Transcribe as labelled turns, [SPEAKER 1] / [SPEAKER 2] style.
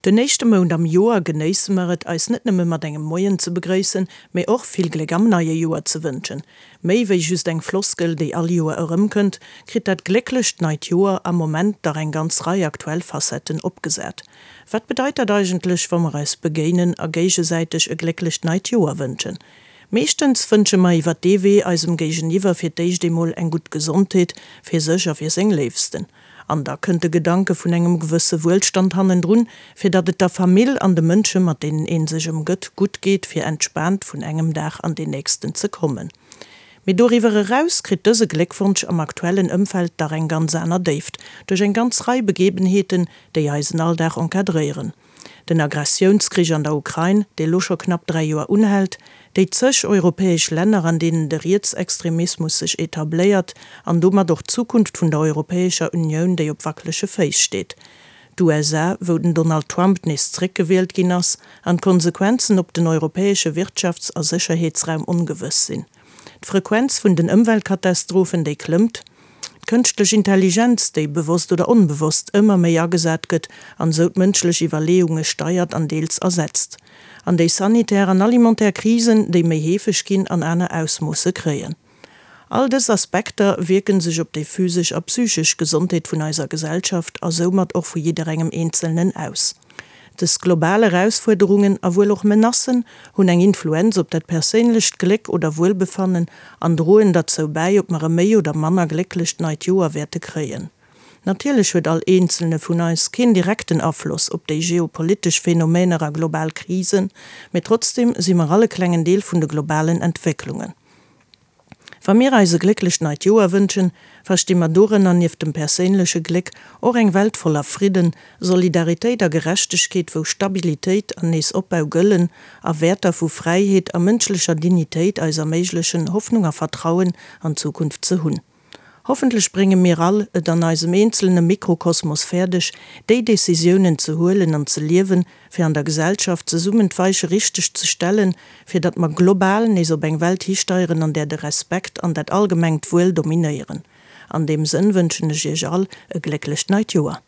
[SPEAKER 1] Den éischte Mount am Joer genéisse mer et, eis net nëmme mat engem Moien ze begréissen, mee och vill Gléck am neie Joer ze wënschen. Méi wéi just eng Floskel, déi all Joer erëmkënnt, kritt dat glécklecht neit Joer am Moment dach eng ganz Rei aktuell Facetten opgesat. Wat bedeit dat eigentlech, wa mer eis begéinen a géigesäiteg e glécklecht neit Joer wënschen? Meeschtens wënsche mer iwwer dee Wee eisem Géigeniwwer fir d'éischt eemol eng gutt Gesondheet, fir sech a fir seng Léifsten. An da kënnt de Gedanke vun engem gewësse Wuelstand hannendrun, fir datt et der Famill an de Mënsche mat deenen een sech ëmgëtt, gutt geet, fir entspaant vun engem Dag an deen nächsten ze kommen. Mee doriwwer eraus kritt dëse Gléckwonsch am aktuellen Ëmfeld dach eng ganz aner Déift, duerch eng ganz Rei Begebenheeten, déi eisen Alldag encadréieren. Den Agressiounskrich an der Ukrain, dee lo scho knapp 3 Joer unhält, déi zeg europäesch Länner, an deenen de Rietsextremismus sech etabléiert an domat och d'Zukunft vun der Europäescher Unioun, déi op wackelege Féiss steet, d'USA, wou den Donald Trump nees zréckgewielt ginn ass an d'Konsequenzen op den europäesche Wirtschafts a Sécherheetsraum ongewëss sinn. D'Frequenz vun den Ëmweltkatastrophen, déi klëmmt. D'kënschtlech Intelligenz, déi bewosst oder onbewosst ëmmer méi agesat gëtt an esou d'mënschlech Iwwerleeunge steiert an deels ersetzt. An déi sanitär an alimentaire Krisen, déi méi heefeg ginn an aner Ausmoosse kréien. All dës Aspekter wierken sech op déi physesch a psychesch Gesondheet vun eiser Gesellschaft a soumat och vu jidderengem Eenzelnen aus. Dës global Erausfuerderungen a wuel och Menacen hunn eng Influenz op dat perséinlecht Gléck oder Wuelbefannen an droen derzou bäi, ob mer e méi oder manner glécklecht neit Joer wäerte kréien. Natierlech huet all eenzelne vun eis keen direkten Afloss op déi geopolitesch Phänomener a global Krisen, mee trotzdeem si mer all e klengen Deel vun de globalen Entwécklungen. Wa mir eis e glécklecht neit Joer wënschen, versti mer dorënner nieft dem perséinleche Gléck och eng Welt voller Fridden, Solidaritéit a Gerechtegkeet, wou Stabilitéit an nees Opbau gëllen a Wäerter vu Fräiheet a mënschlecher Dignitéit eis erméiglechen, Hoffnung a Vertrauen an d'Zukunft ze hunn. Hoffentlech brénge mir all et an eisem eenzelne Mikrokosmos fäerdeg, déi Decisiounen ze huelen an ze liewen, fir an der Gesellschaft zesummen d'Weiche richteg ze stellen, fir datt mer global nees op eng Welt histeieren, an där de Respekt an dat allgemengt Wuel dominéieren. An deem Sënn wënschen ech Iech all e glécklecht neit Joer.